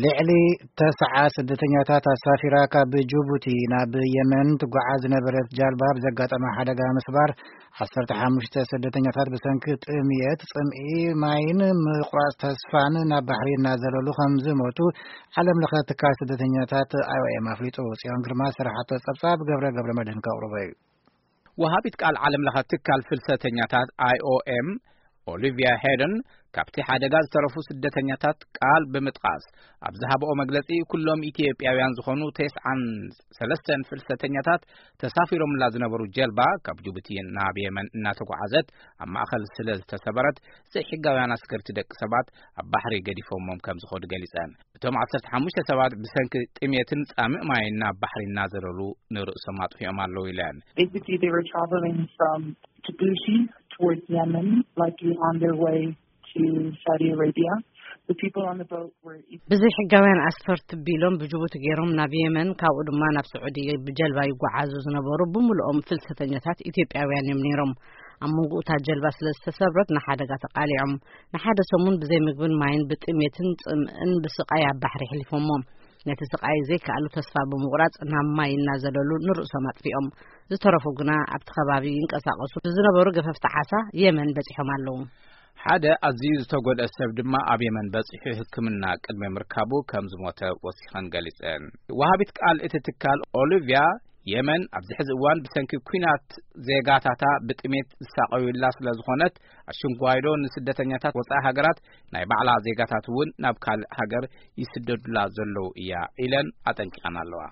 ልዕሊ ተስዓ ስደተኛታት ኣሳፊራ ካብ ጅቡቲ ናብ የመን ትጓዓዝ ዝነበረት ጃልባ ብዘጋጠመ ሓደጋ ምስባር፣ ዓሰርተ ሓሙሽተ ስደተኛታት ብሰንኪ ጥምየት፣ ጽምኢ ማይን ምቁራጽ ተስፋን ናብ ባሕሪ እናዘለሉ ከም ዝሞቱ ዓለም ለኸ ትካል ስደተኛታት ኣይ ኦ ኤም ኣፍሊጡ። ጽዮን ግርማ ዝሰራሓቶ ጸብጻብ ገብረ ገብረ መድህን ከቕርቦ እዩ። ወሃቢት ቃል ዓለም ለኸ ትካል ፍልሰተኛታት ኣይ ኦ ኤም ኦሊቪያ ሄደን ካብቲ ሓደጋ ዝተረፉ ስደተኛታት ቃል ብምጥቃስ ኣብ ዝሃብኦ መግለጺ፣ ኩሎም ኢትዮጵያውያን ዝኾኑ ተስዓን ሰለስተን ፍልሰተኛታት ተሳፊሮምላ ዝነበሩ ጀልባ ካብ ጅቡቲ ናብ የመን እናተጓዓዘት ኣብ ማእኸል ስለ ዝተሰበረት፣ ዘይሕጋውያን ኣስገርቲ ደቂ ሰባት ኣብ ባሕሪ ገዲፎሞም ከም ዝኾኑ ገሊጸን። እቶም ዓሰርተ ሓሙሽተ ሰባት ብሰንኪ ጥሜትን ጻምእ ማይን ናብ ባሕሪ እናዘለሉ ንርእሶም ኣጥፊኦም ኣለዉ ኢለን። Basically, they were traveling from Djibouti towards Yemen, likely on their way to Saudi Arabia. The people on the boat were ብዘይ ሕጋውያን ኣስፈርቲ ቢሎም ብጅቡቲ ገይሮም ናብ የመን፣ ካብኡ ድማ ናብ ስዑዲ ብጀልባ ይጓዓዙ ዝነበሩ ብምልኦም ፍልሰተኛታት ኢትዮጵያውያን እዮም ነይሮም። ኣብ መንጎ እታ ጀልባ ስለ ዝተሰብረት ንሓደጋ ተቃሊዖም። ንሓደ ሰሙን ብዘይ ምግብን ማይን ብጥሜትን ጽምእን ብስቃይ ኣብ ባሕሪ ኣሕሊፎሞ። ነቲ ስቃይ ዘይከኣሉ ተስፋ ብምቑራጽ ናብ ማይ እናዘለሉ ንርእሶም ኣጥፊኦም። ዝተረፉ ግና ኣብቲ ከባቢ ይንቀሳቐሱ ብዝነበሩ ገፈፍቲ ዓሳ የመን በጺሖም ኣለዉ። ሓደ ኣዝዩ ዝተጎድአ ሰብ ድማ ኣብ የመን በጺሑ ሕክምና ቅድሚ ምርካቡ ከም ዝሞተ ወሲኸን ገሊጸን። ወሃቢት ቃል እቲ ትካል ኦሊቪያ፣ የመን ኣብዚ ሕዚ እዋን ብሰንኪ ኲናት ዜጋታታ ብጥሜት ዝሳቐዩላ ስለ ዝኾነት፣ ኣሽንጓይዶ ንስደተኛታት ወጻኢ ሃገራት ናይ ባዕላ ዜጋታት እውን ናብ ካልእ ሃገር ይስደዱላ ዘለዉ እያ ኢለን ኣጠንቂቐን ኣለዋ።